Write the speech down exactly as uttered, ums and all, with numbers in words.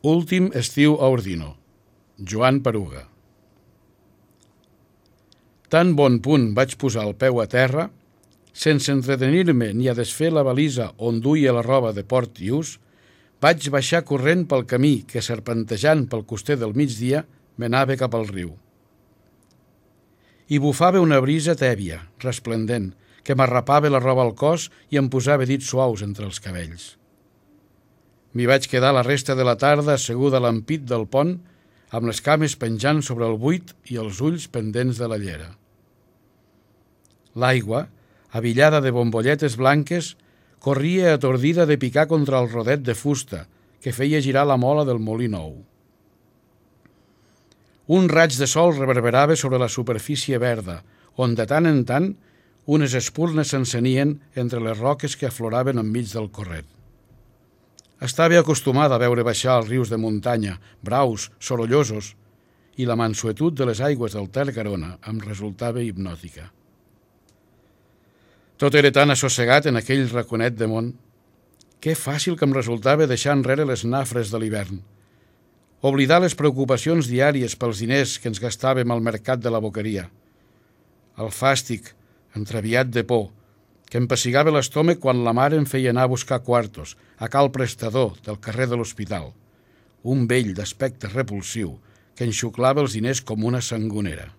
Últim estiu a Ordino. Joan Peruga. Tan bon punt vaig posar el peu a terra, sense entretenir-me ni a desfer la valisa on duia la roba de port i ús, vaig baixar corrent pel camí que, serpentejant pel coster del migdia, m'anava cap al riu. Hi bufava una brisa tèbia, resplendent, que m'arrapava la roba al cos i em posava dits suaus entre els cabells. M'hi vaig quedar la resta de la tarda asseguda a l'ampit del pont, amb les cames penjant sobre el buit i els ulls pendents de la llera. L'aigua, avillada de bombolletes blanques, corria atordida de picar contra el rodet de fusta que feia girar la mola del molí nou. Un raig de sol reverberava sobre la superfície verda, on de tant en tant unes espurnes s'encenien entre les roques que afloraven enmig del corret. Estava acostumada a veure baixar els rius de muntanya, braus, sorollosos, i la mansuetud de les aigües del Ter Garona em resultava hipnòtica. Tot era tan assossegat en aquell raconet de món. Que fàcil que em resultava deixar enrere les nafres de l'hivern. Oblidar les preocupacions diàries pels diners que ens gastàvem al mercat de la boqueria. El fàstic, entraviat de por, que em pessigava l'estómac quan la mare em feia anar a buscar quartos a cal prestador del carrer de l'hospital, un vell d'aspecte repulsiu que enxuclava els diners com una sangonera.